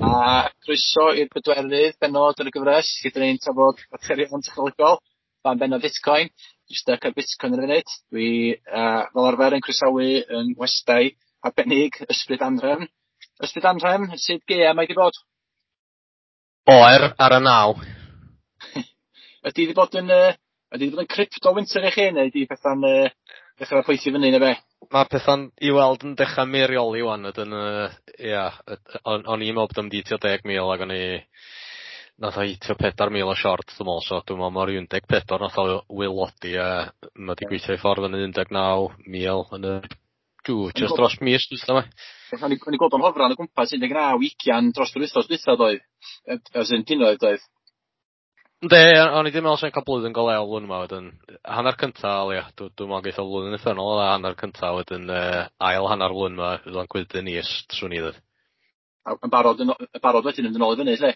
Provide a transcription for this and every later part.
A croeso i'r bedwerydd bennod yn y gyfres lle 'dan ni'n trafod materion technolegol, fan bennod Bitcoin. Dwi styc ar Bitcoin ar y funud. Dwi fel arfer yn croesawu yn westai arbennig Ysbryd Anhrefn. Ysbryd Anhrefn, sut gaea mae 'di bod? Oer ar y naw. Ydy 'di bod yn ydy 'di bod yn crypto winter i chi neu ydy petha'n dechrau poethi fyny neu be? Mae petha'n i weld yn dechrau meirioli wan ydyn ia, o'n i'n meddwl bod o'n mynd i hitio 10,000 ac o'n i nath o hitio 4,000 o short dwi'n meddwl, so dwi'n meddwl mae'r 14 nath o wylodi a mae 'di gweithio i ffordd yn 19,000 yn y just dros mis dwytha 'ma. O'n i'n gweld o'n hofran o gwmpas 19, 20 dros yr wythnos dwytha doedd? As in punnoedd doedd? Yndi, o'n i 'di meddwl 'swn i'n cael blwyddyn go lew blwyddyn yma wedyn hanner cynta o leia, dwi'n meddwl geith o flwyddyn uffernol o dda hanner cynta wedyn ail hanner flwyddyn yma fydd o'n gweithio'n is, swn i ddweud. A yn barod yn barod wedyn yn ôl i fyny, lle?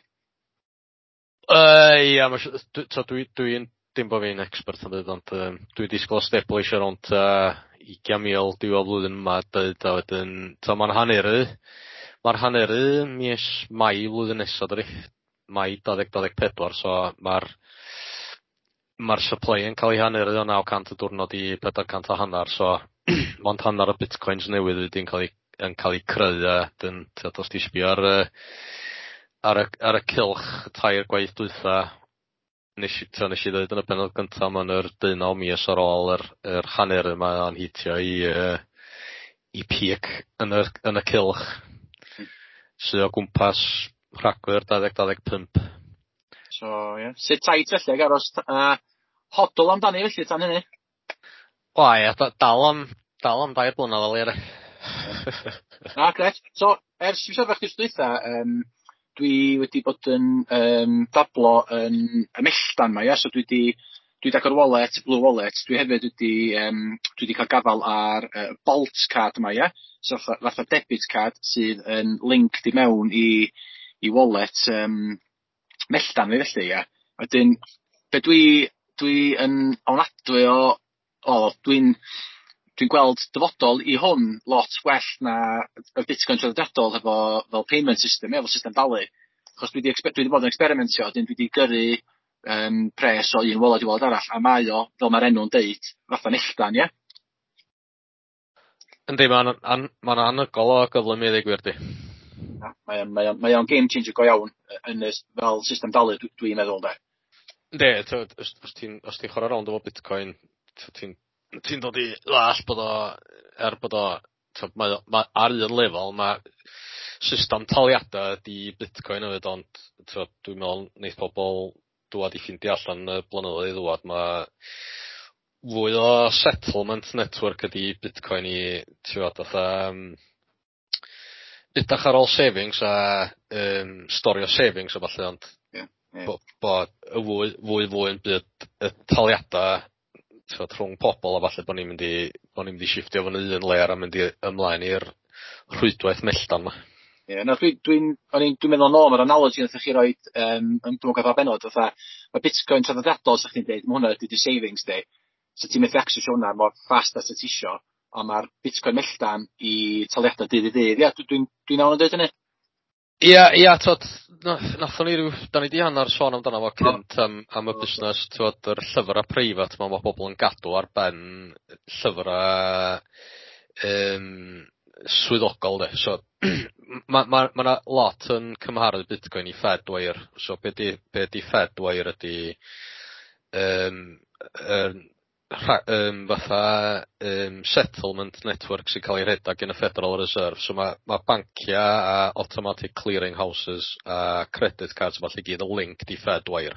Ia, ma' dwi'n dim bod fi'n expert yn dweud, ond dwi'n disgwyl establisho rownd 20,000 diwedd flwyddyn yma, dweud, a wedyn, mae'n haneru mis Mai flwyddyn nesaf, dydi? Mai 2024, so mae'r supply yn cael ei haneru o 900 y diwrnod i 400 a hanner, so mond hanner y bitcoins newydd wedi'n cael ei creu, a dyn, os ti sbio ar y cylch tair gwaith dwytha, nes i ddweud yn y pennod gyntaf, mae'n yr 19 mis ar ôl yr hanner yma o'n hitio i peak yn y cylch, sydd o gwmpas Rhagfyr 2025. So, ie. Yeah. Sit tight felly, ag aros hodl amdani felly tan hynny? O ie, dal am 2 blynedd o leia. Na, gret. So, ers i fi siarad chdi dwytha, dwi wedi bod yn dablo yn y melltan 'ma, ia? So dwi 'di agor wallet, Blue Wallet. Dwi hefyd wedi dwi 'di cael gafal ar Bolt card yma, ia? So fatha debit card sydd yn linked i mewn i wallet melltan fi felly, ia. Wedyn, be dwi yn ofnadwy o dwi'n gweld dyfodol i hwn lot well na y Bitcoin traddodiadol efo fel payment system, efo system dalu. Achos dwi 'di bod yn experimentio, wedyn dwi 'di gyrru pres o un wallet i wallet arall, a mae o, fel mae'r enw'n deud, fatha melltan, ia. Yndi, mae'n anhygoel o gyflym i ddweud gwir di. Mae o'n game changer go iawn yn fel system dalu, dwi'n meddwl, de. Yndi, os ti'n chwarae rownd efo Bitcoin, ti'n dod i ddall bod o, er bod o, mae ar un lefel, mae system taliadau ydi Bitcoin hefyd, ond dwi'n meddwl neith pobl dŵad i ffeindio allan y blynyddoedd i ddŵad, mae fwy o settlement network ydi Bitcoin i, ti'n fatha edrych ar ôl savings a storio savings o falle, ond bod y fwy yn byd y taliadau rhwng pobl a falle bod ni'n mynd i shiftio fyny un layer a mynd i ymlaen i'r rhwydwaith melltan 'ma. Ie, na dwi'n meddwl nôl mae'r analogy nath chi roid yn dwi'n gwybod benod fatha mae Bitcoin traddodiadol sa chdi'n deud, ma' hwnna ydi dy savings di. So ti'n methu accessio hwnna mor fast as ti isio, ond ma'r Bitcoin melltan i taliadau dydd i ddydd. Ia, dwi'n iawn yn dweud hynny? Ia, t'od, nathon ni ryw, da ni 'di hanner sôn amdano fo cynt am y busnes, t'od, yr llyfrau preifat ma' pobl yn gadw ar ben llyfrau swyddogol, de. So, ma' 'na lot yn cymharu Bitcoin i Fedwire. So, be di Fedwire ydi fatha settlement network sy'n cael ei rhedeg gan y Federal Reserve. So mae banciau a automatic clearing houses a credit cards falle gyd yn linked i Fedwire.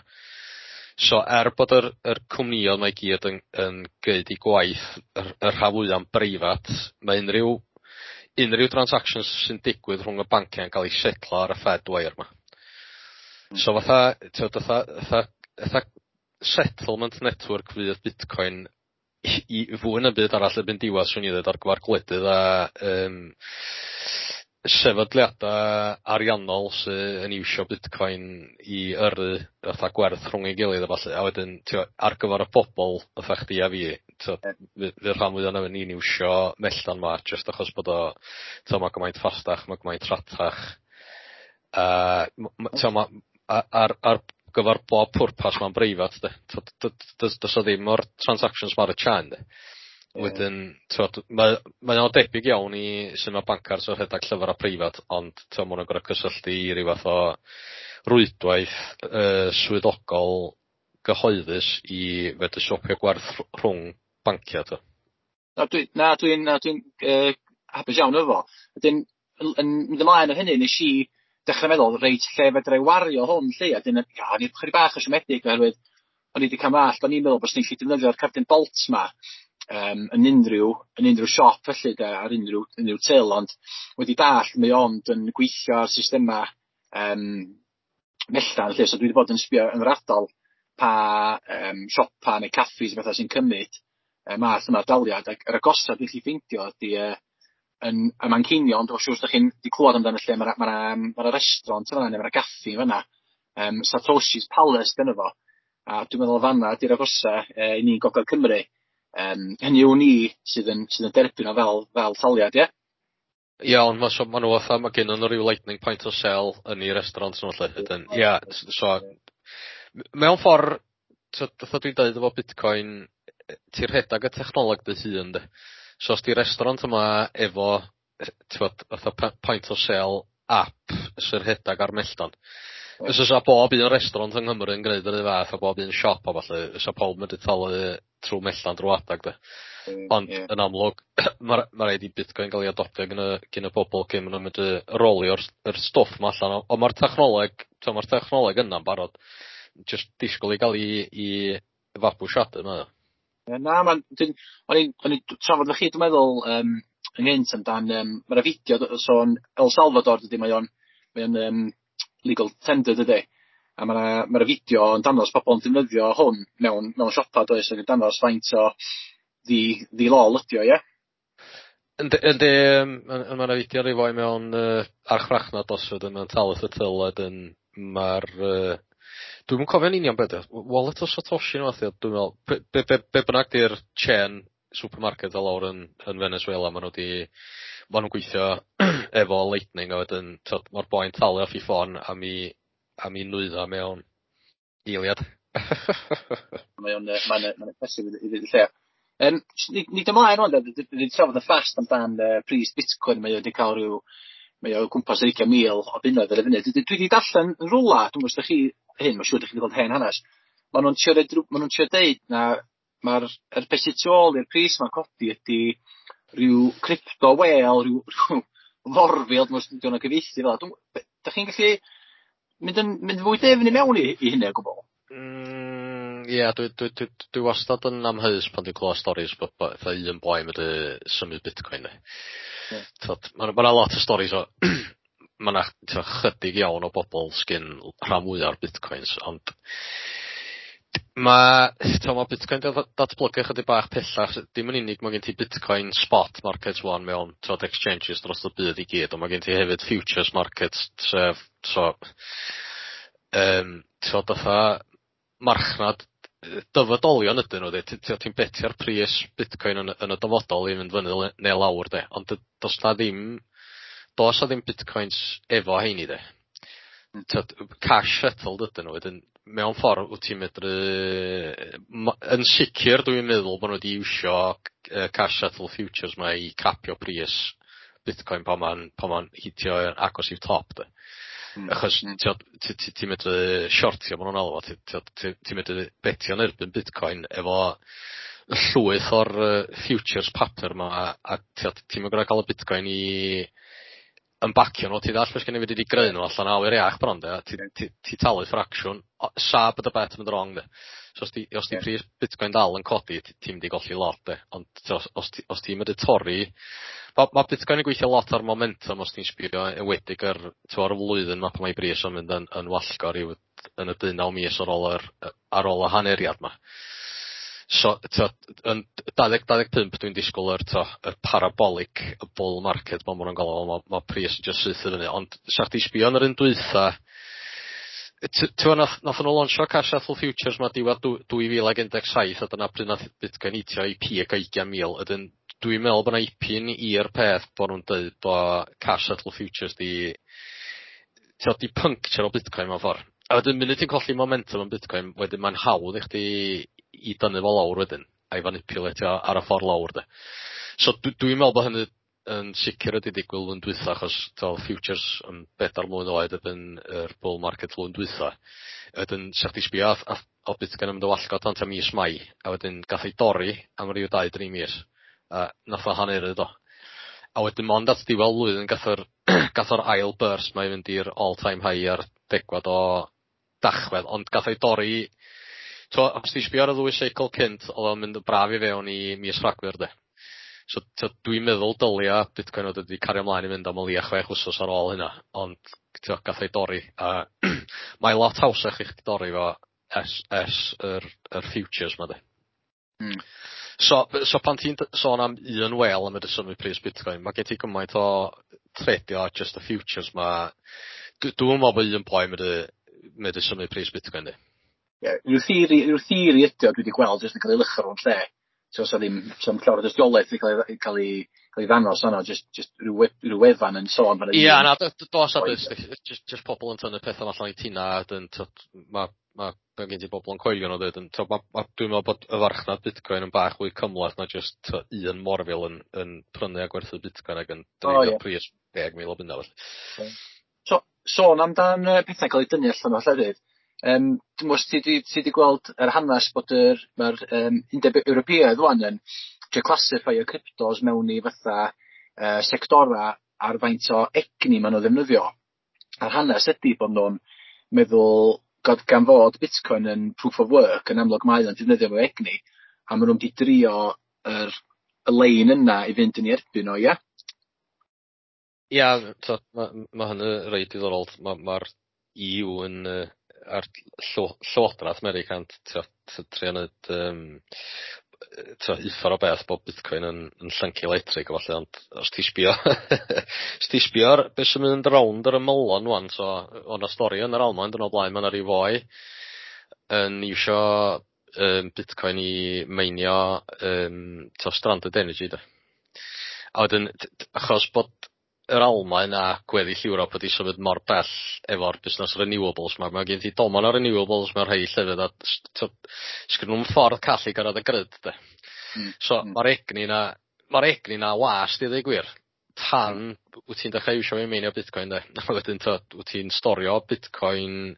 So er bod yr cwmnïoedd mae gyd yn gneud i gwaith y rhan fwya'n breifat, mae unrhyw transactions sy'n digwydd rhwng y banciau yn cael ei setlo ar y Fedwire 'ma. So fatha settlement network fydd Bitcoin i fwy na byd arall erbyn diwedd, swn i ddweud, ar gyfer gwledydd a sefydliadau ariannol sydd yn iwsio Bitcoin i yrru fatha gwerth rhwng ei gilydd a ballu, a wedyn ar gyfer y bobl fatha chdi a fi, fydd rhan fwya ohonon ni'n iwsio melltan 'ma jyst achos bod o mae gymaint ffastach, mae gymaint rhatach. Ma, ar gyfer bob pwrpas mae'n breifat, de. Does o ddim o'r transactions ma ar y chain, de. Wedyn, t'wod, mae o'n debyg iawn i sut mae bancars yn rhedeg llyfrau preifat, ond t'wod, ma' nhw'n gorfod cysylltu i ryw fath o rwydwaith swyddogol gyhoeddus i fedru swapio gwerth rhwng banciau, t'wod. Na, dwi'n hapus iawn efo. Wedyn, yn mynd ymlaen o hynny, nes i dechrau meddwl, reit, lle fedra i wario hwn, lle, a dyn, ia, o'n i chydig bach o siomedig oherwydd o'n i wedi cael mall, o'n i'n meddwl bod ni'n gallu defnyddio'r cardyn Bolt ma yn unrhyw siop felly de, ar unrhyw till, ond wedi dall mae ond yn gweithio ar systema melltan lle, so dwi wedi bod yn sbio yn yr ardal pa siopa neu caffis a bethau sy'n cymryd y math yma o daliad, ac yr agosa dwi'n gallu ffeindio ydy yn y Manceinion. Dwi'n siŵr os ydych chi'n wedi clywed amdano lle, mae'na ma restaurant yna neu mae'na gaffi fanna, Satoshi's Palace dyna fo, a dwi'n meddwl fanna ydy'r agosa i ni Gogledd Cymru. Hynny yw ni sydd yn derbyn o fel taliad, ie? Iawn, ma' so ma' nhw fatha, ma' gennyn nhw ryw lightning point of sale yn eu restaurant nhw 'lly. Wedyn, ia, so mewn ffordd, fatha dwi'n deud efo Bitcoin, ti'n rhedag y technoleg dy hun, de. So os di restaurant yma efo, t'wod, fatha point of sale app sy'n rhedag ar melltan. Os oes bob un restaurant yng Nghymru yn gwneud yr un fath a bob un siop a falle, fysa pawb mynd i talu trwy melltan drwy adag, de. Ond yn amlwg, mae ma raid i Bitcoin gael ei adoptio gyn y bobl cyn maen nhw'n mynd i rolio'r yr stwff ma allan. Ond mae'r technoleg, mae'r technoleg yna'n barod. Just disgwyl i gael ei fabwysiadu yma. Na, ma'n, o'n i'n trafod efo chi, dwi'n meddwl, ynghynt amdan, mae'na fideo sôn El Salvador, dydy, mae o'n legal tender, dydy. A mae'na ma fideo yn dangos pobl yn defnyddio hwn mewn siopa, does, ac yn dangos faint o ddi-lol ydi o, ie? Yndi, mae yna fideo rhyw foi mewn archfarchnad os ydyn nhw'n talu y till, wedyn mae'r... Dwi'm yn cofio'n union beth, Wallet of Satoshi neu fath, dwi'n meddwl, be bynnag di'r chain supermarket o lawr yn Venezuela, ma nhw'n gweithio efo Lightning a wedyn mae'r boi'n talu off i ffôn am i nwydda mewn eiliad. Mae'n impressive i ddweud y lle. Ni ymlaen rwan, ni wedi trafod y fast amdan pris Bitcoin, mae wedi cael rhyw, mae o gwmpas 20,000 o bunnoedd ar y funud. Dwi wedi darllen yn rwla, dwi'n gwybod os ydych chi hyn, mae'n siŵr ydych chi wedi gweld hen hanes, ma nhw'n trio deud na mae'r er beth sydd tu ôl i'r pris ma'n codi ydy rhyw crypto whale, rhyw forfil, dwi'n meddwl dwi'n gyfieithu fel. Dych chi'n gallu mynd fwy dyfn i mewn i hynny o gwbl? Ie, dwi wastad yn amheus pan dwi'n clywed storis bod fatha un boi medru symud Bitcoin. Yeah. Mae ma lot o storis o mae yna chydig iawn o bobl sgyn rhan fwyaf o'r bitcoins, ond ma Bitcoin datblygu chydig bach pellach. Dim yn unig mae gen ti Bitcoin spot market one mewn, t'wod, exchanges dros y byd i gyd, ond mae gen ti hefyd futures markets, sef so t'wod, fatha marchnad dyfodolion ydyn nhw, de. Ti'n betio'r pris Bitcoin yn y dyfodol i fynd fyny neu lawr, de. Ond does na ddim Bitcoins efo heini, de. T'wod, cash settled ydyn nhw, wedyn mewn ffordd wyt ti'n medru... Yn sicr dwi'n meddwl bod nhw wedi iwsio cash settle futures ma i capio pris Bitcoin pan ma'n hitio agos i'w top, de. Achos ti'n medru shortio, ma' nhw'n alw fo, ti'n medru betio yn erbyn Bitcoin efo llwyth o'r futures papur ma a ti'n mynd cael y Bitcoin i yn bacio nhw, ti ddall beth gen i wedi greu nhw allan o awyr iach bron, de, ti talu ffracsiwn, sa bod y bet yn mynd wrong, de. So os di pris Bitcoin dal yn codi, ti'n mynd i golli lot, de. Ond os ti'n mynd i torri, ma Bitcoin yn gweithio lot ar momentum os ti'n sbio enwedig ar y flwyddyn ma pan mae bris yn mynd yn wallgo ryw yn y 18 mis ar ôl y haneriad ma. So, t'od, yn 2025 dwi'n disgwyl yr parabolic bull market ma' nhw'n galw fo, ma pris yn just syth i fyny, ond sa chdi sbio yn yr un dwytha, ti'n nath nhw launchio cash settle futures ma diwedd 2017 a dyna pryd nath Bitcoin hitio i peak o 20,000. Ydyn dwi'n meddwl bod 'na ipyn i'r peth bod nhw'n dweud bod cash settle futures di T'od, 'di puncture o Bitcoin mewn ffordd. A wedyn munud ti'n colli momentum yn Bitcoin, wedyn mae'n hawdd i chdi i dynnu fo lawr wedyn, a'i fanipulatio ar y ffordd lawr de. So dwi'n meddwl bod hynny yn sicr wedi digwydd flwyddyn dwytha, achos t'o' futures yn 4 mlwydd oed erbyn yr bull market flwyddyn dwytha. Wedyn sa chdi sbio o Bitcoin yn mynd yn wallgo tan tua mis Mai, a wedyn gath ei dorri am ryw 2-3 mis, a nath o haneru do. A wedyn mond at diwedd blwyddyn gath o'r ail burst 'ma i fynd i'r all time high ar 10fed o Dachwedd, ond gath ei dorri. T'mo', os ti'n sbio ar y ddwy seicl cynt, oedd o'n mynd yn braf i fewn i mis Rhagfyr de. So t'od, dwi'n meddwl dylia Bitcoin fod wedi cario ymlaen i fynd am o leia 6 wsos ar ôl hynna, ond t'o' gath ei dorri, a mae lot hawsach i chdi dorri fo ers yr futures 'ma de. So pan ti'n sôn am un whale yn medru symud pris Bitcoin, mae gen ti gymaint o tradio just y futures 'ma. Dwi'm yn meddwl bod un boi medru symud pris Bitcoin de. Ie, rhyw theori ydi o dwi wedi gweld jyst yn cael ei luchio rownd lle. So sa ddim, sa ddim llawer o dystiolaeth wedi cael ei ddangos yna, just rhyw wefan yn sôn bod 'na Ia, na, dos a just pobl yn tynnu pethau allan i tina, a dyn, t'od, ma gen ti bobl yn coelio nhw dweud, yn, t'od, dwi'n meddwl bod y farchnad Bitcoin yn bach fwy cymhleth na just, t'od, un morfil yn prynu a gwerthu Bitcoin ac yn dreifio pris 10,000 o bunna felly. So, sôn amdan pethau cael eu dynnu allan o llefydd. Dwi'n meddwl os ti di gweld yr hanes bod mae'r Undeb Ewropeaidd wan yn trio classify y cryptos mewn i fatha sectora ar faint o egni maen nhw'n ddefnyddio. A'r hanes ydy bod nhw'n meddwl gan fod Bitcoin yn proof of work, yn amlwg mae o'n defnyddio fo egni, a maen nhw'n mynd i drio y lein yna i fynd yn ei erbyn o, ia? Ia, t'od, ma' hynny reit diddorol. Mae'r ma EU yn a'r Llywodraeth America'n t'od, trio neud t'o' uffar o beth bod Bitcoin yn llyncu electric a ballu, ond os ti sbio ar beth sy'n mynd rownd yr ymylon wan, so o' 'na stori yn yr Almaen dwrnod blaen, ma' 'na ryw foi yn iwsio Bitcoin i meinio t'o' stranded energy de. A wedyn achos bod yr Almaen a gweddill Ewrop wedi symud mor bell efo'r busnes renewables 'ma, ma' gen ti domen o renewables mewn rhai llefydd a t'od, sgynnon nw'm ffordd call i gyrraedd y grid de. So ma'r egni 'na wast i ddweud gwir tan wyt ti'n dechrau iwsio fo i meinio Bitcoin de. A wedyn t'od, wyt ti'n storio Bitcoin,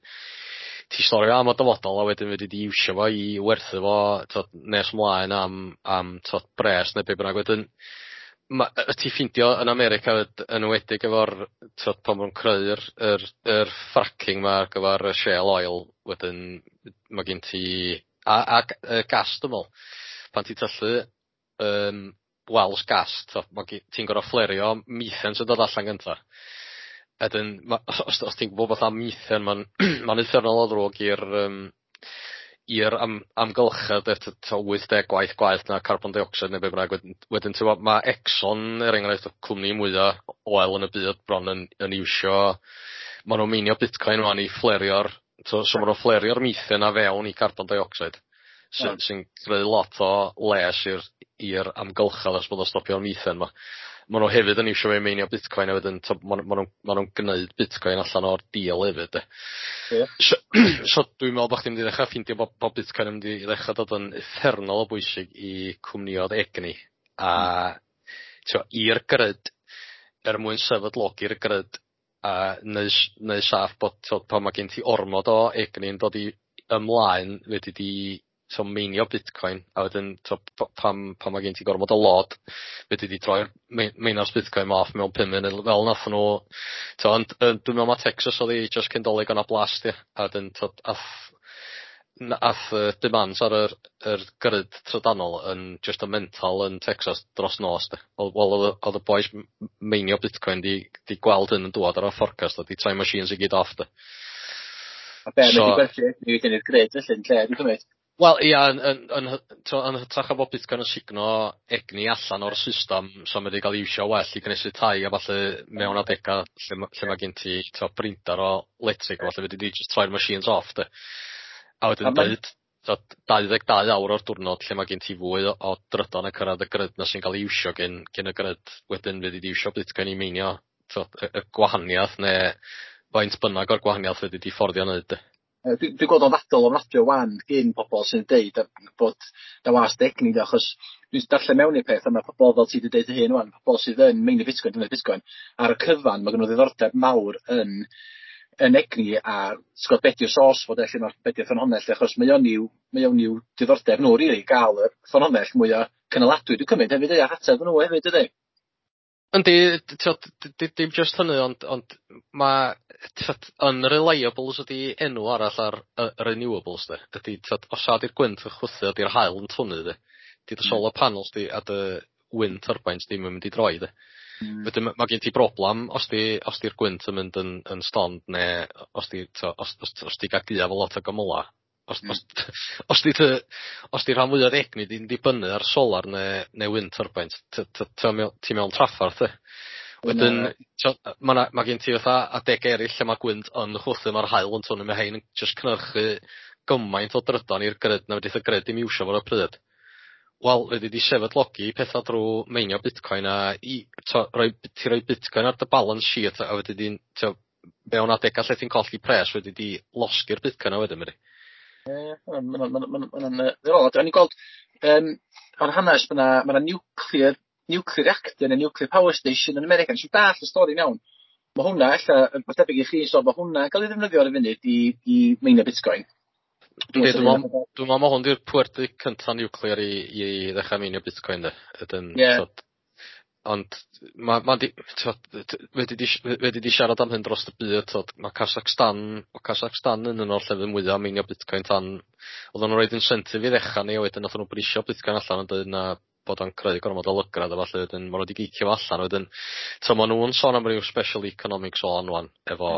ti storio am y dyfodol a wedyn fedri di iwsio fo i werthu fo, t'od, nes mlaen am, t'od, bres neu be bynnag. Wedyn y ti ffindio yn America yn enwedig efo'r, t'od, pan ma' nw'n creu'r yr fracking 'ma ar gyfer y shale oil, wedyn ma' gen ti a gas, dwi'n me'wl pan ti'n tyllu wells gas, t'od, ti'n gor'o' flario methane sy'n dod allan gynta. Wedyn os ti'n gwbod beth am methane, ma'n uffernol o ddrwg i'r amgylchedd de, 80 gwaith gwaeth na carbon dioxide neu be bynnag. Wedyn ti'n gwbod, ma' Exxon er enghraifft, y cwmni mwya oil yn y byd bron yn iwsio, ma' nhw'n meinio Bitcoin wan i flario'r, so ma' nhw'n flario'r methane a fewn i carbon dioxide sy'n creu lot o les i'r amgylchedd os bod o'n stopio'r methane 'ma. Ma' nhw hefyd yn iwsio fe i meinio Bitcoin a wedyn t'o' ma' nhw'n gneud Bitcoin allan o'r deal hefyd de. So dwi'n meddwl bod chdi'n mynd i ddechrau ffeindio bod Bitcoin yn mynd i ddechrau dod yn uffernol o bwysig i cwmnioedd egni a t'o' i'r grid er mwyn sefydlogi'r grid a neu saff bod, t'o', pan mae gen ti ormod o egni yn dod i ymlaen, fedri di, t'o', meinio Bitcoin a wedyn, t'o', pan mae gen ti gormod o load, fedri di troi'r miners Bitcoin off mewn 5 munud fel nath nhw, t'o', ond dwi'n meddwl ma' Texas oedd hi just cyn Dolig o'na blast ia, a wedyn, t'o', ath demands ar yr grid trydanol yn just y mental yn Texas dros nos de. Wel, oedd y boys meinio Bitcoin di gweld hyn yn dŵad ar y forecast a di troi machines i gyd off de. A be, mae wedi gwerthu egni wedyn i'r grid felly yn lle, dwi'n cymryd. Wel ia, yn hytrach o bod Bitcoin yn sugno egni allan o'r system, so mae wedi cael ei iwsio well i gnesu tai a falle mewn adega lle ma gen ti, t'o', prinder o electric a falle fedri di just troi'r machines off de. A wedyn deud, t'od, 22 awr o'r diwrnod lle mae gen ti fwy o drydan yn cyrraedd y grid na sy'n cael ei iwsio gen y grid, wedyn fedri di iwsio Bitcoin i meinio, t'od, y gwahaniaeth neu faint bynnag o'r gwahaniaeth fedri di fforddio neud de. Dwi'n gweld o'n ddadl ofnadwy o wan gyn pobl sy'n deud bod na wast egni de, achos dwi'n darllen mewn i'r peth a mae pobl fel ti wedi deud dy hun wan, pobl sydd yn meinio Bitcoin, defnyddio Bitcoin, ar y cyfan mae gen nhw ddiddordeb mawr yn egni a ti'n gwbod be di'r source fo de, lle ma'r be di'r ffynhonnell de, achos mae o'n i'w diddordeb nhw rili gael y ffynhonnell mwyaf cynaladwy dwi'n cymryd hefyd ia, ateb nhw hefyd dydy? Yndi, t'od, dim just hynny, ond ma' t'od unreliables ydi enw arall ar y renewables de. Ydy t'od os a 'di'r gwynt yn chwythu ydi'r haul yn twynnu de. 'Di dy solar panels di a dy wind turbines ddim yn mynd i droi de. Wedyn ma' gen ti broblam os 'di'r gwynt yn mynd yn stond neu os 'di t'o' os 'di ga'l gaeaf o lot o gymyla. Os os 'di rhan fwyaf o'r egni di'n dibynnu ar solar neu wind turbines, ti mewn traffarth de. Wedyn ma' gen ti fatha adega eraill lle ma' gwynt yn chwythu, ma'r haul yn twynnu, ma' hein yn jyst cynhyrchu gymaint o drydan i'r grid na fedrith y grid ddim iwsio fo ar y pryd. Wel, fedri di sefydlogi petha drw meinio Bitcoin a i t'o' roi ti roi Bitcoin ar dy balance sheet a wedyn di'n t'o' mewn adega lle ti'n colli pres wedi di losgi'r Bitcoin a wedyn medri. Ie, ma'n ddiddorol. O'n i'n gweld o'r hanes ma' 'na nuclear reactor neu nuclear power station yn America. Nes i dall y stori'n iawn. Mae hwnna ella, yn debyg i chi, so mae hwnna'n cael ei ddefnyddio ar y funud i meinio Bitcoin. Yndi, dwi'n meddwl ma' hwn 'di'r pwerdy cynta nuclear i ddechrau meinio Bitcoin de. Ydyn, t'od, ond ma' di t'od fedri di siarad am hyn dros y byd, t'od, ma' Kazakhstan yn un o'r llefydd mwya meinio Bitcoin tan oedden nhw'n roid incentive i ddechrau ni a wedyn nathon nhw brisio Bitcoin allan yn dweud na bod o'n creu gormod o lygredd a ballu, wedyn ma' nhw wedi gicio fo allan. Wedyn t'o' ma' nhw'n sôn am ryw special economic zone ŵan efo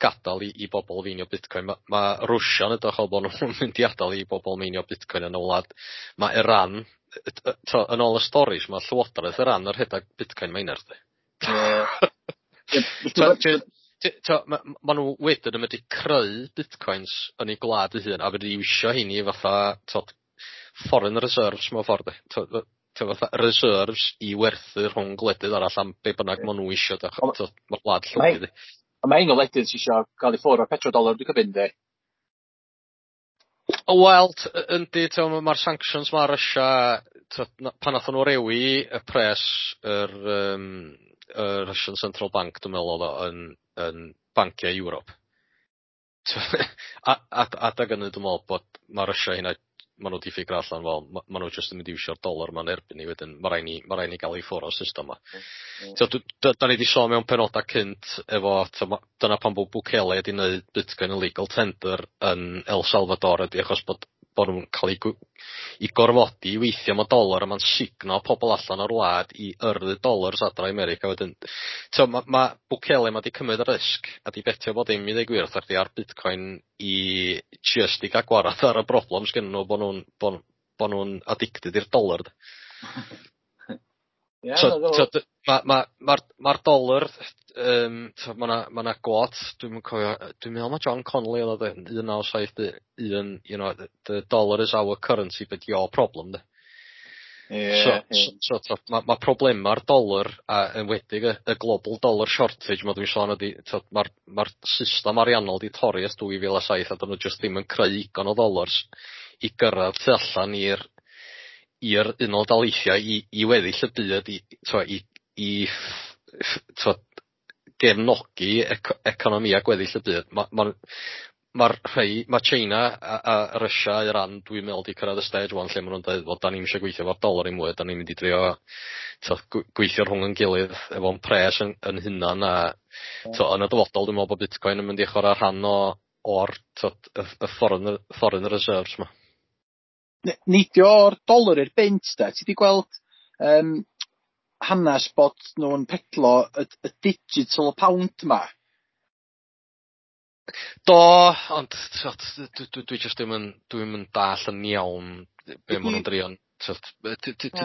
gadael i bobl feinio Bitcoin. Ma' Rwsia'n edrych fel bod nhw'n mynd i adael i bobl meinio Bitcoin yn y wlad. Mae Iran, t'o' yn ôl y storis, mae Llywodraeth Iran yn rhedeg Bitcoin miners de. T'o' ma' nhw wedyn yn medru creu Bitcoins yn eu gwlad eu hun a fedru iwsio heini fatha t'od foreign reserves mewn ffordd de. T'o' fatha reserves i werthu rhwng gwledydd arall am be bynnag ma' nhw isio de. T'od ma'r wlad llwgu di. Ond mae un o wledydd sy'n isio gael i ffwrdd o'r petrodollar dwi'n cymryd yndi? Wel, yndi, t'o' ma'r sanctions ma' Russia, t'od, pan nathon nhw rewi y pres yr Russian Central Bank, dwi'n meddwl oedd o yn banciau Ewrop. A adag hynny dwi'n meddwl bod ma' Russia hynna ma' nhw 'di ffigur allan, wel, ma' nhw jyst yn mynd i iwsio'r dollar ma'n erbyn ni wedyn ma' rai ni gael i ffwrdd o'r system ma. So, da ni 'di sôn mewn penodau cynt efo t'o' dyna pam bod Bukele wedi wneud Bitcoin yn legal tender yn El Salvador ydy achos bod nhw'n cael eu gorfodi i weithio am y dolar a ma'n sugno pobl allan o'r wlad i yrru dollars adra i America wedyn. So ma Bukele ma 'di cymryd y risg a 'di betio bod dim i ddweud gwir wrtha chdi ar Bitcoin i just i gael gwarad ar y broblem sgennyn nhw bod nhw'n addicted i'r dollar. Ie, So, na, so, ma dolar, so ma' 'na quote, dwi'm yn cofio, dwi'n meddwl ma' John Connolly oedd o de, 1971, "The dollar is our currency but your problem" de. So, so ma' problema'r dolar a enwedig y global dollar shortage ma' dwi'n sôn ydi, t'od, ma system ariannol di torri ers 2007 a dyn nhw just ddim yn creu digon o dollars i gyrraedd tu allan i'r Unol Daleithiau i weddill y byd i, t'o' i t'od, gefnogi economia gweddill y byd. Ma'r rhei, ma' China a Russia, Iran, dwi'n meddwl 'di cyrraedd y stage ŵan lle ma' nhw'n dweud, "Wel, da ni'm eisiau gweithio efo'r dolar i mwy, da ni'n mynd i drio t'od gweithio rhwng yn gilydd efo'n pres yn hunan", a t'o' yn y dyfodol dwi'n meddwl bod Bitcoin yn mynd i chwarae rhan o'r t'od y foreign reserves ma. Neidio o'r dolar i'r bunt de, ti 'di gweld hanes bod nhw'n pedlo y digital pound ma? Do, ond t'od dwi jyst ddim yn dwi'm yn dall yn iawn be ma' nhw'n drio t'od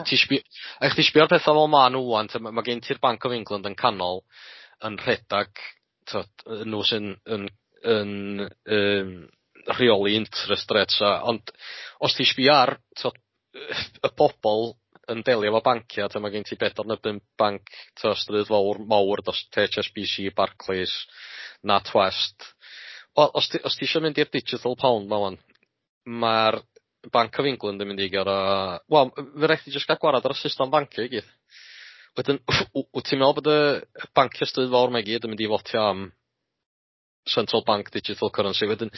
ti sbio a chdi sbio ar petha fel ma' nhw ŵan, t'od ma' gen ti'r Bank of England yn canol yn rhedag, t'od, nhw sy'n yn rheoli interest rates a ond os ti sbio ar t'od y bobl yn delio efo bancia, t'od, ma' gen ti bedwar neu bump banc t'o' stryd fowr mawr dros HSBC, Barclays, NatWest. Wel, os ti eisiau mynd i'r digital pound ma wan, mae'r Bank of England yn mynd i goro. Wel, fe rhaid ti jyst gael gwarad ar y system bancio i gyd. Wedyn, wyt ti'n meddwl bod y banciau stryd fawr 'ma i gyd yn mynd i fotio am central bank digital currency? Wedyn,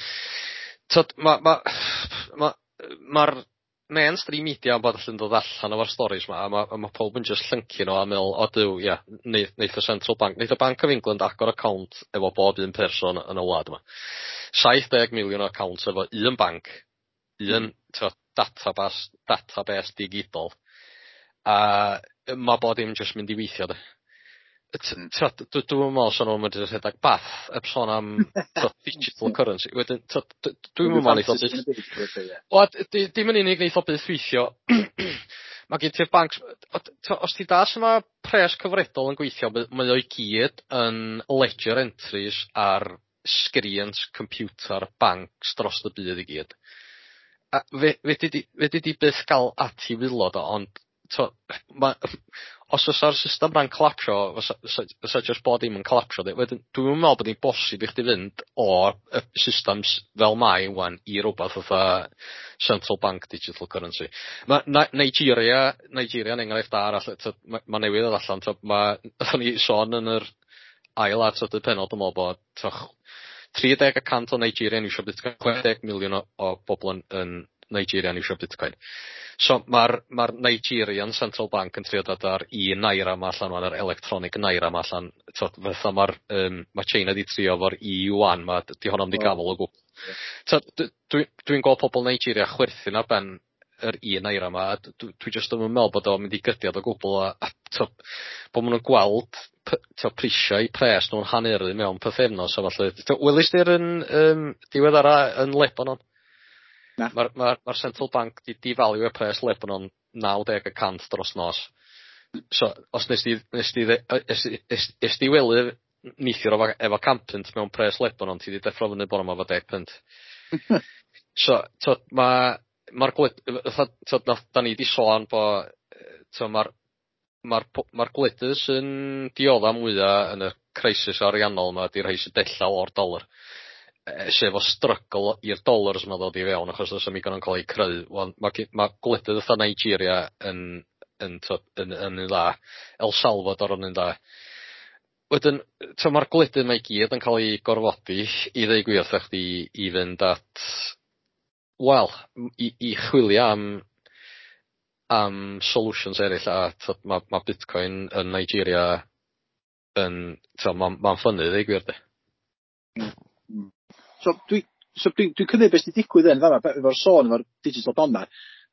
tyd, ma'r mainstream media yn bod allan dod allan efo'r stories 'ma, a ma pob yn just llyncu nhw a meddwl, "O Duw, ia, neith y central bank, neith y Bank of England agor account efo bob un person yn y wlad yma." 70 miliwn o accounts efo un banc, un t'od, database digidol. A ma' bod dim jyst mynd i weithio de. T'od, dwi'n meddwl sa nhw'n mynd i rhedeg bath heb sôn am, t'od, digital currency. Wedyn, t'od, dwi'n meddwl neith o byth. Wel, dim yn unig neith o byth weithio. Mae gen ti'r banc, os ti da sut mae pres cyfredol yn gweithio, mae o i gyd yn ledger entries ar screens computer banks dros y byd i gyd. A fe di byth gael at i waelod o, ond t'o, os fysa'r system 'na'n collapsio, fysa just bod dim yn collapsio. Wedyn, dwi'n meddwl bod hi'n bosib i chdi fynd o'r y systems fel mae wan i rywbeth fatha central bank digital currency. Mae Nigeria yn enghraifft da arall, t'od, ma newydd ddod allan, t'od, nathon ni sôn yn yr ail a trydydd pennod, dwi'n meddwl bod, t'o, 30% o Nigeria yn iwsio Bitcoin, 60 miliwn o bobl yn Nigeria yn iwsio Bitcoin. So mae'r ma Nigerian Central Bank yn trio dod ar e-naira ma allan wan, yr electronic naira ma allan. T'od, fatha ma China di trio efo'r e-yuan ma, di honno'm di gafel o gwbl. T'od, dwi'n gweld pobl Nigeria chwerthin ar ben yr e-naira ma, a dwi jyst ddim yn meddwl bod o'n mynd i gydiad o gwbl a t'od, bod maen nhw'n gweld t'od, prisiau pres nhw'n haneru mewn pythefnos a falle. Welys di'r yn diweddara yn Lebanon? Na. Mae'r ma Central Bank di devalue y pres Lebanon 90% dros nos. So, os nes di wely neithiwr efo 100 punt mewn pres Lebanon, ti di deffro fyny bore 'ma efo 10 punt. So, t'od, mae'r fatha, t'od, da ni di sôn bo, t'od, ma'r gwledydd sy'n diodda mwya yn y crisis ariannol yma 'di rhai sy'n dellal o'r dolar. Sef o struggle i'r dollars yma ddod i fewn achos oes 'am ddigon yn cael eu creu. Wel, ma gwledydd fatha Nigeria yn, t'od, yn un dda. El Salvador yn un dda. Wedyn, t'od, mae'r gwledydd 'ma i gyd yn cael eu gorfodi, i ddeu gwir wrtha chdi, i fynd at, wel, i chwilio am solutions eraill a t'od, ma Bitcoin yn Nigeria yn, t'od, ma'n ffynnu, ddeu gwir de. So dwi cymryd beth sy'n digwydd yn fan'na efo'r sôn efo'r digital pound 'ma.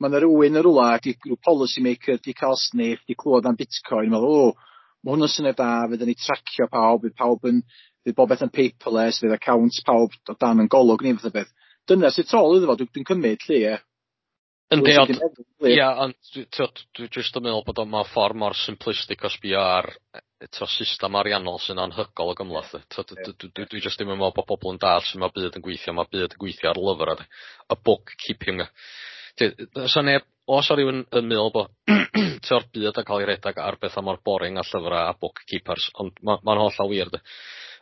Ma' 'na rywun yn rwla 'di rhyw policy maker 'di ca'l sniff, 'di clywed am Bitcoin, meddwl, "O, ma' hwn yn syniad da, fydden ni tracio pawb, fydd bob beth yn paperless, fydd accounts pawb o dan yn golwg ni," fath o beth. Dyna sydd tu ôl iddo fo, dwi'n cymryd lly, ie. Yndi, ond ia, ond t'od, dwi jyst yn meddwl bod o mewn ffordd mor simplistic o sbio ar t'o' system ariannol sy'n anhygol o gymhleth. T'od, dwi jyst ddim yn meddwl bod pobl yn dallt sut mae byd yn gweithio. Mae byd yn gweithio ar lyfrau, y bookkeeping. Sa neb, os o rywun yn meddwl bod t'o'r byd yn cael ei redag ar bethau mor boring a llyfrau a bookkeepers, ond ma'n hollol wir de.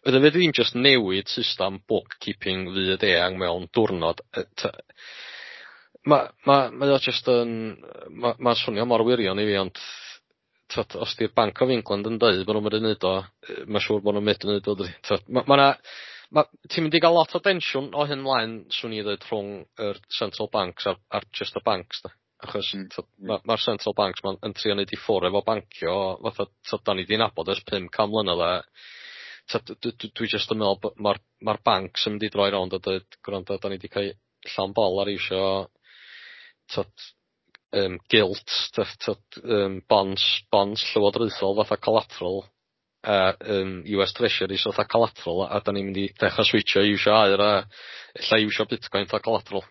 Wedyn fedri di'm jyst newid system bookkeeping fyd eang mewn diwrnod. Mae o jyst yn, ma swnio mor wirion i fi, ond t'od, os 'di'r Bank of England yn dweud bod nhw'n mynd i neud o, mae'n siŵr bod nhw'n mynd i neud o, dydi? T'od, ma' ti'n mynd i gael lot o densiwn o hyn mlaen, swn i ddweud, rhwng yr central banks a'r just y banks de. Achos t'od, ma'r central banks ma'n yn trio neud i ffwrdd efo bancio, fatha t'od, da ni 'di nabod ers 500 mlynedd a t'od, dwi jyst yn meddwl bod ma'r banks yn mynd i droi rownd a dweud, "Gwrando, da ni 'di cael llawn bol ar isio t'od, gilt, t'od, bonds llywodraethol fatha collateral a US Treasuries fatha collateral a da ni'n mynd i dechrau switcho i iwsio aur a ella iwsio Bitcoin fatha collateral."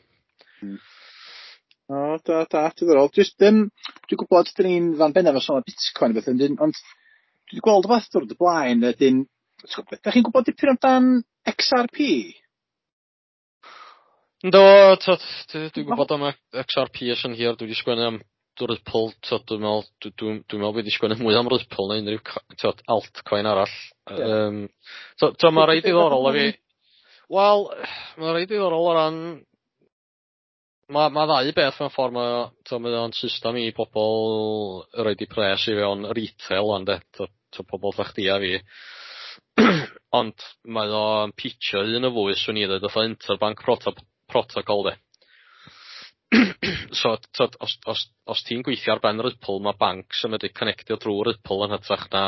O, da, da, diddorol. Just, dwi'n gwybod dyn ni'n fan bennaf o sôn am Bitcoin a beth, ond dwi wedi gweld rhywbeth dwrnod y blaen, ydyn, da chi'n gwybod dipyn amdan XRP? Yndw, t'od, dwi'n gwybod am y XRP ers yn hir, dwi wedi sgwennu am Ripple, t'od, dwi'n meddwl, dwi'n meddwl fi 'di sgwennu mwy am Ripple na unrhyw t'od altcoin arall. Ie. So t'o' ma' reit ddiddorol i fi. Wel, ma' reit ddiddorol o ran ma' ddau beth mewn ffordd, mae o, t'o' mae o'n system i pobol roid i pres i fewn retail ŵan de, t'o' pobol fatha chdi a fi. Ond mae o'n pitio un o fwy, swn i ddweud, fatha interbank protocol de. So t'od os ti'n gweithio ar ben Ripple, mae banks yn medru connectio drwy Ripple yn hytrach na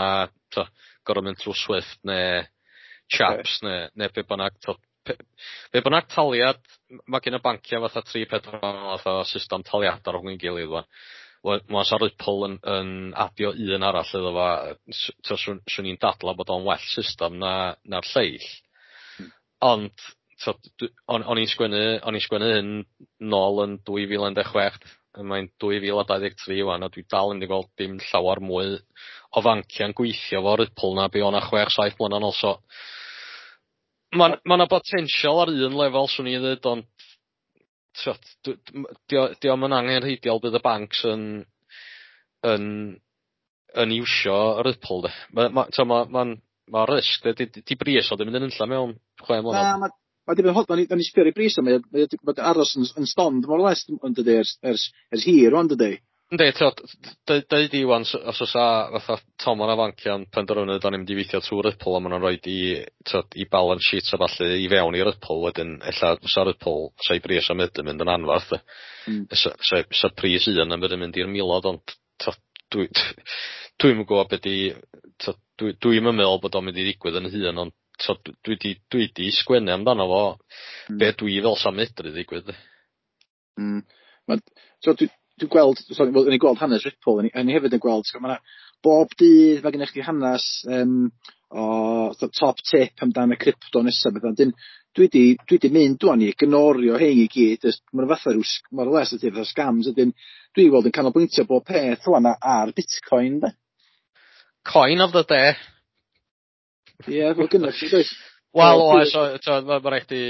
t'o' gorod mynd trwy Swift neu Chaps neu be bynnag, t'o' be bynnag taliad. Mae gen y banciau fatha 3-4 fath o system taliadau rhwng ei gilydd ŵan. Wel, ma' sa Ripple yn adio un arall iddo fo, t'o' swn i'n dadla bod o'n well system na'r lleill. Ond t'od o'n i'n sgwennu hyn nôl yn 2016, mae'n 2023 ŵan a dwi dal yn mynd i gweld dim llawer mwy o fanciau'n gweithio fo Ripple na be o'na 6-7 mlynedd yn ôl, so ma' 'na potensial ar un lefel, swn i'n ddweud, ond t'od 'di o'm yn angenrheidiol bydd y banks yn iwsio Ripple de. Ma' t'o' ma' risg de, di bris o ddim yn mynd yn unlla mewn 6 Na, mlynedd. Ma di bod yn hot, o'n i sbio ar ei bris o, mae o 'di aros yn stond more or less yn dydi ers hir rwan, dydi? Yndi, t'od, deud i ŵan os o's a fatha tomon o fanciau'n penderfynu da ni'n mynd i weithio trwy Ripple a ma' nhw'n rhoid i, t'od, i balance sheets a ballu i fewn i Ripple wedyn, ella fysa Ripple, sa'i bris am yn mynd yn anfarth de. Sa pris un yn mynd i'r milodd, ond t'od, dwi'm yn gwybod be di, t'od, dwi'm yn meddwl bod o'n mynd i ddigwydd yn hun, ond t'od, dwi di sgwennu amdano fo be dwi fel sa'n medru ddigwydd de. So dwi gweld, sorry, wel, o'n i gweld hanes Ripple, o'n i hefyd yn gweld, so ma' 'na bob dydd mae gennych chi hanes o the top tip amdan y crypto nesaf beth. Dyn, dwi di mynd ŵan i ignorio hein i gyd, jyst ma' nhw fatha ryw more or less ydy fatha scams ydyn. Dwi weld yn canolbwyntio bob peth ŵan ar Bitcoin de. Coin of the day. Ie, fel gynnoch chi, does? Wel, Wel, oes, o, t'od, ma' rhaid chdi,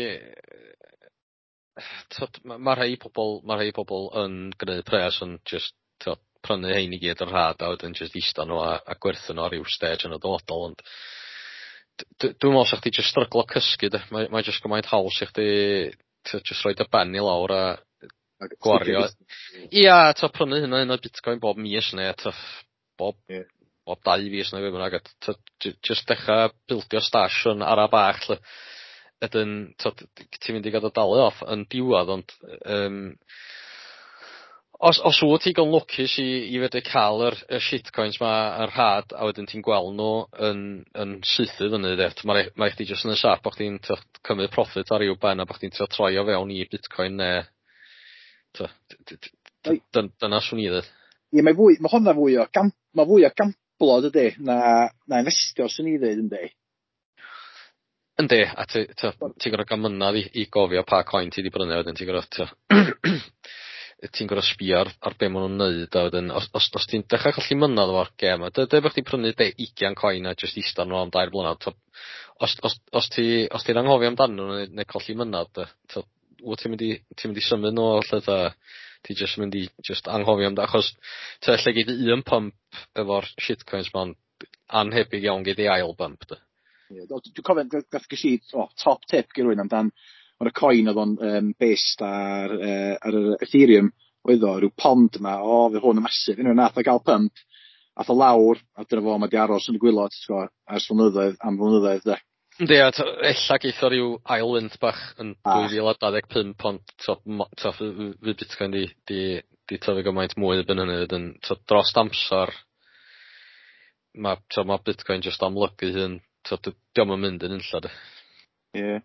t'od, ma' rhai pobol yn gneud pres yn just, t'od, prynu hein i gyd yn rhad a wedyn just ista nhw a gwerthu nhw ar ryw stage yn y dyfodol, ond dwi'n meddwl sa chdi just stryglo cysgu de, mae just gymaint haws i chdi, t'od, just rhoid y ben i lawr a gwario. Ia, t'od, prynu hynna un o Bitcoin bob mis neu t'od, bob bob 2 fis neu be bynnag, a t'od, just dechra bildio stash yn ara bach 'lly. Wedyn, t'od, ti'n mynd i gael dy dalu off yn diwedd, ond os wyt ti digon lwcus i fedru cael y shitcoins ma yn rhad a wedyn ti'n gweld nhw yn sythu fyny de, mae chdi jyst yn y siap bo' chdi'n, t'od, cymryd profit ar ryw ben a bo' chdi'n trio troi o fewn i Bitcoin neu t'o' dyna swn i ddweud. Ie, mae hwnna fwy o mae fwy o gamblo, dydy, na investio, swn i ddweud, yndi? Yndi, a ti gorod gael mynadd i gofio pa coin ti 'di brynu, wedyn ti'n gorod ti'n gorod sbio ar be ma' nw'n neud a wedyn os ti'n dechrau colli mynadd efo'r gêm a deud bo' chdi'n prynu 20 coin a jyst ista nhw am 3 blynedd, t'o' os ti'n anghofio amdanyn nhw neu colli mynadd de, t'o' wyt ti'n mynd i symud nhw lle ta ti jyst mynd i jyst anghofio amdan, achos t'o' ella gei di un pump efo'r shitcoins ma'n anhebyg iawn gei di ail bump de. Ie, dwi'n cofio gath ges i top tip gen rywun amdan o'r y coin oedd o'n based ar yr Ethereum oedd o, rhyw pond yma, o, fydd hwn yn massive. Unwaith nath o gael pump, ath o lawr, a dyna fo, mae di aros yn y gwaelod, ti'n gwbod, ers flynyddoedd, am flynyddoedd, de. Yndi, a ella geith o ryw ail wynt bach yn 2025, ond t'o' fydd Bitcoin di tyfu gymaint mwy erbyn hynny wedyn, t'o' dros amser ma' t'o' ma' Bitcoin jyst amlygu hun, t'o' dio'm yn mynd yn unlla de. Ie.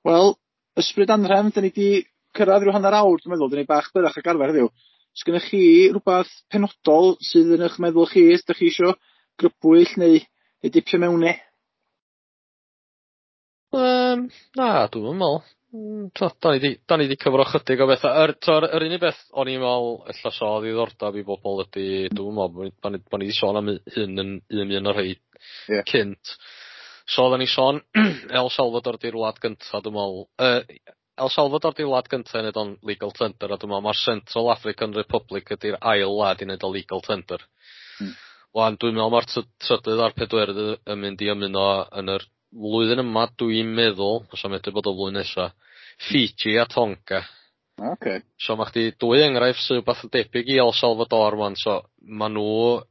Wel, ysbryd anrhefn, da ni di cyrraedd rhyw hanner awr, dwi'n meddwl, da ni bach byrach ag arfer heddiw. Sgynnoch chi rhywbeth penodol sydd yn eich meddwl chi, ydych chi isio grybwyll neu dipio mewn i? Na, dwi'm yn meddwl. T'o' da ni 'di cyfro chydig o betha. T'o' yr unig beth o'n i'n meddwl ella so o ddiddordeb i bobol ydi, dwi'm yn meddwl bo' ni 'di sôn am hyn yn un o'r rhei cynt. So oddan ni sôn El Salvador 'di'r wlad gynta dwi'n me'wl El Salvador 'di'r wlad gynta i neud o'n legal tender, a dwi'n meddwl ma'r Central African Republic ydy'r ail wlad i neud o legal tender. Wan dwi'n meddwl ma'r trydydd a'r pedwerydd yn mynd i ymuno yn yr flwyddyn yma, dwi'n meddwl, os am medru bod o flwyddyn nesa, Fiji a Tonga. So ma' chdi dwy enghraifft sydd wbath yn debyg i El Salvador wan, so ma' nhw'n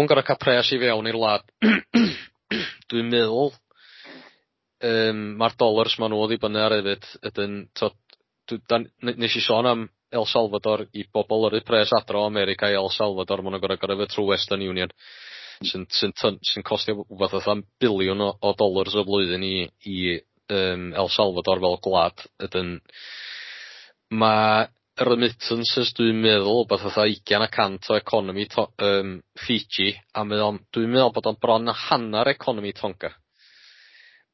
gor'o' ca'l pres i fewn i'r wlad. Dwi'n meddwl ma'r dollars ma' nhw ddibynnu ar hefyd ydyn, t'od, nes i sôn am El Salvador i bobl yrru pres adra o America i El Salvador, ma' nhw'n gor'o' gyrru fo trwy Western Union sy'n costio wbath fatha biliwn o dollars y flwyddyn i El Salvador fel gwlad. Ydyn, ma' remittances dwi'n meddwl wbath fatha 20% o economi Fiji, a mae o'n, dwi'n meddwl bod o'n bron a hanner economi Tonga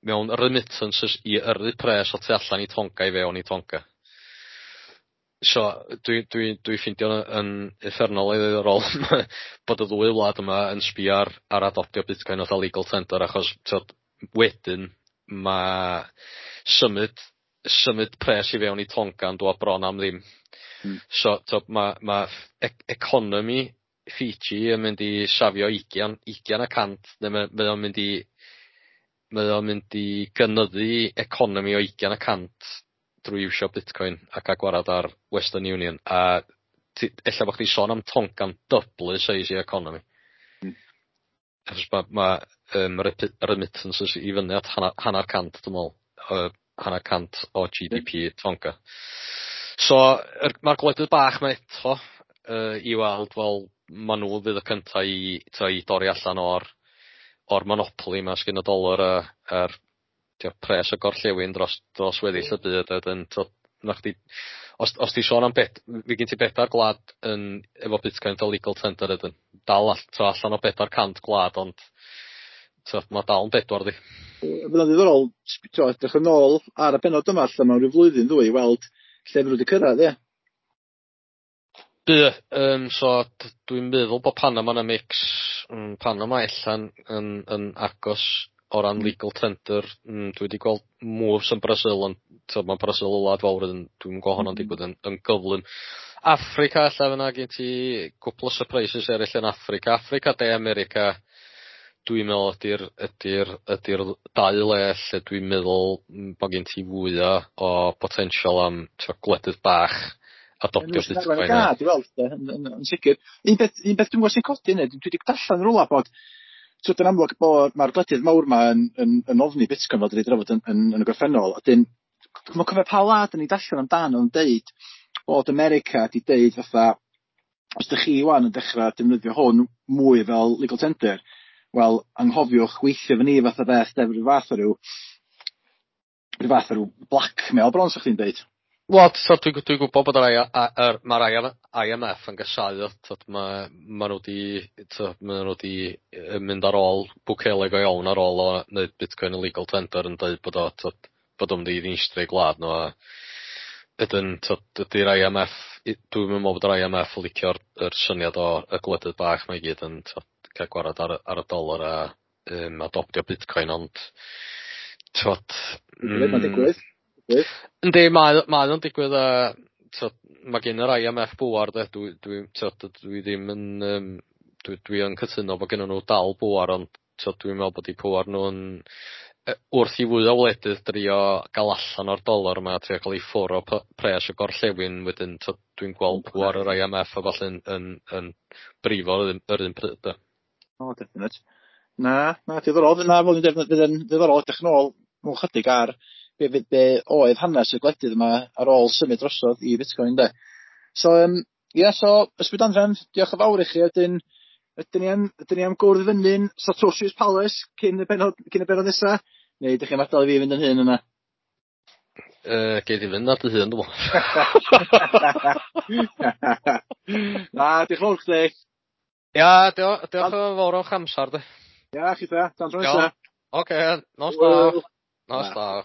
mewn remittances i yrru pres o tu allan i Tonga i fewn i Tonga. So dwi ffeindio yn uffernol o ddiddorol bod y ddwy wlad yma yn sbio ar adoptio Bitcoin fatha legal tender, achos t'od wedyn ma' symud pres i fewn i Tonga yn dwad bron am ddim. So t'od ma' economi Fiji yn mynd i safio 20%, neu mae o'n mynd i gynyddu economi o 20% drwy iwsio Bitcoin a ca'l gwarad ar Western Union, a ella bo' chdi sôn am Tonga'n dyblu size i economi. Achos ma' remittances i fyny at hanner cant, dwi'n meddwl, 50% o GDP Tonga. So ma'r gwledydd bach 'ma eto i weld, wel, ma' nhw fydd y cynta i dorri allan o'r monopoli 'ma sgyn y dolar a'r pres y gorllewin dros weddill y byd. A wedyn t'od na chdi, os ti sôn am bet, fi gen ti bedair gwlad yn efo Bitcoin fel legal tender ydyn, dal allan o 400 gwlad, ond t'od ma' dal yn bedwar di. Fydd o'n ddiddorol t'od edrych yn ôl ar y bennod yma allan mewn rhyw flwyddyn ddwy i weld lle fydden nhw wedi cyrraedd, ie. By, so dwi'n meddwl bod Panama yn y mix, Panama ella'n yn agos o ran legal tender. Dwi wedi gweld moves yn Brasil, ond t'od ma' Brasil yn wlad fawr, yn dwi'm yn gweld honno'n digwydd yn gyflym. Africa ella fyna gen ti cwpl o surprises eraill yn Africa. Africa, De America, dwi'n meddwl ydy'r dau le lle dwi'n meddwl bod gen ti fwya o potential am gwledydd bach adoptio Bitcoin. Gad i weld, yn sicr. Un beth dwi'n gwybod sy'n codi hynny, dwi wedi darllen rwla bod t'od yn amlwg bod mae'r gwledydd mawr 'ma yn ofni Bitcoin fel dwi wedi drafod yn y gorffennol. A dyn, dwi'm yn cofio pa wlad o'n i darllen amdano yn deud bod America 'di deud fatha, os ydych chi wan yn dechrau defnyddio hwn mwy fel legal tender, wel, anghofiwch weithio fy ni fath o beth, de, rhyw fath o ryw blackmail bron, sa chdi'n deud. Wel, so dwi'n gwybod bod yr mae'r IMF yn gasáu o, t'od ma' nhw 'di t'od ma' nhw 'di mynd ar ôl Bukele go iawn ar ôl o wneud Bitcoin yn legal tender, yn deud bod o t'od bod o'n mynd i ddinistrio gwlad nhw, a ydyn, t'od, dydy'r IMF, dwi'n meddwl bod yr IMF yn licio'r yr syniad o y gwledydd bach 'ma i gyd yn t'od cael gwarad ar y dolar a adoptio Bitcoin, ond t'od Mae'n digwydd. Yndi, mae o'n digwydd, a t'od ma' gen yr IMF bŵar de, dwi t'od dwi ddim yn dwi yn cytuno bod gennyn nhw dal bŵar, ond t'od dwi'n meddwl bod 'u pŵar nhw yn wrth i fwy o wledydd drio gael allan o'r dolar yma, trio cael ei ffwr o pres y gorllewin wedyn, t'od dwi'n gweld pŵar yr IMF a ballu'n yn brifo yr un pryd de. O, definite. Na, diddorol. Na, fel dwi'n dweud, fydd yn ddiddorol edrych nôl mewn chydig ar be oedd hanes y gwledydd yma ar ôl symud drosodd i Bitcoin, de. So, ie, so, Ysbryd Anrhefn, diolch yn fawr i chi. Ydyn ni am gwrdd fyny'n Satoshi's Palace cyn y bennod nesa? Neu ydych chi'n adael i fi fynd yn hyn yna? Gei di fynd ar dy hun, dwi'n meddwl. Na, diolch yn fawr chdi. Ia, diolch yn fawr o'ch amser, di. Ia, chi ta, tan tro nesa. Oce, nos da. Nos da.